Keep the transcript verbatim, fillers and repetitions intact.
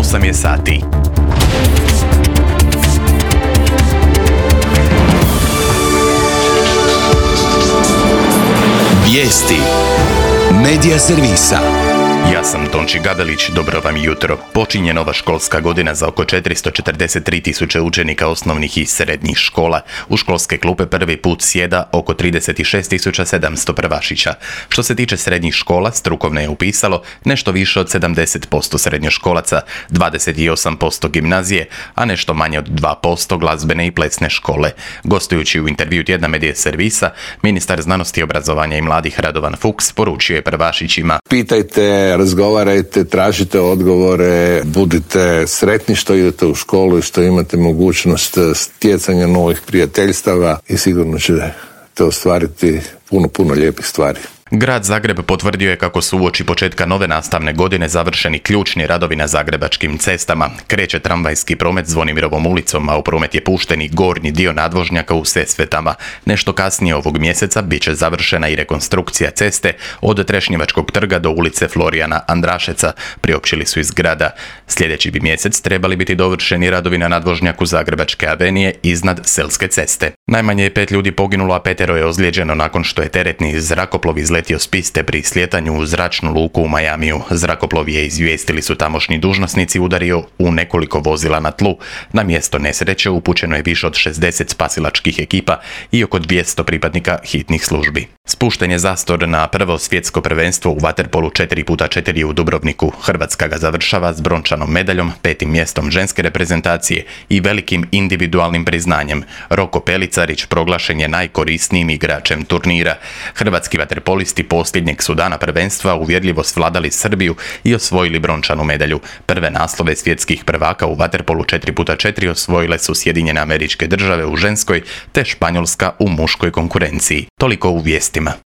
osam je sati. Vijesti Medija servisa. Ja sam Tonči Gabelić, dobro vam jutro. Počinje nova školska godina za oko četiristo četrdeset tri tisuće učenika osnovnih i srednjih škola. U školske klupe prvi put sjeda oko trideset šest tisuća sedamsto prvašića. Što se tiče srednjih škola, strukovne je upisalo nešto više od sedamdeset posto srednjoškolaca, dvadeset osam posto gimnazije, a nešto manje od dva posto glazbene i plesne škole. Gostujući u intervju tjedna Medija servisa, ministar znanosti i obrazovanja i mladih Radovan Fuchs poručio je prvašićima: pitajte, razgovarajte, tražite odgovore, budite sretni što idete u školu i što imate mogućnost stjecanja novih prijateljstava i sigurno ćete ostvariti puno, puno lijepih stvari. Grad Zagreb potvrdio je kako su uoči početka nove nastavne godine završeni ključni radovi na zagrebačkim cestama. Kreće tramvajski promet Zvonimirovom ulicom, a u promet je pušten i gornji dio nadvožnjaka u Sesvetama. Nešto kasnije ovog mjeseca bit će završena i rekonstrukcija ceste od Trešnjevačkog trga do ulice Florijana Andrašeca, priopćili su iz grada. Sljedeći bi mjesec trebali biti dovršeni radovi na nadvožnjaku Zagrebačke avenije iznad Selske ceste. Najmanje je pet ljudi poginulo, a petero je ozlijeđeno nakon što je teretni zrakoplov izletio s piste pri sljetanju u zračnu luku u Majamiju. Zrakoplov je, izvijestili su tamošnji dužnosnici, udario u nekoliko vozila na tlu. Na mjesto nesreće upućeno je više od šezdeset spasilačkih ekipa i oko dvjesto pripadnika hitnih službi. Spušten je zastor na prvo svjetsko prvenstvo u vaterpolu četiri puta četiri u Dubrovniku. Hrvatska ga završava s brončanom medaljom, petim mjestom ženske reprezentacije i velikim individualnim priznanjem. Roko Pelicarić proglašen je najkorisnijim igračem turnira. Hrvatski vaterpolisti posljednjeg su dana prvenstva uvjerljivo svladali Srbiju i osvojili brončanu medalju. Prve naslove svjetskih prvaka u vaterpolu četiri puta četiri osvojile su Sjedinjene Američke Države u ženskoj te Španjolska u muškoj konkurenciji. Toliko u vijestima.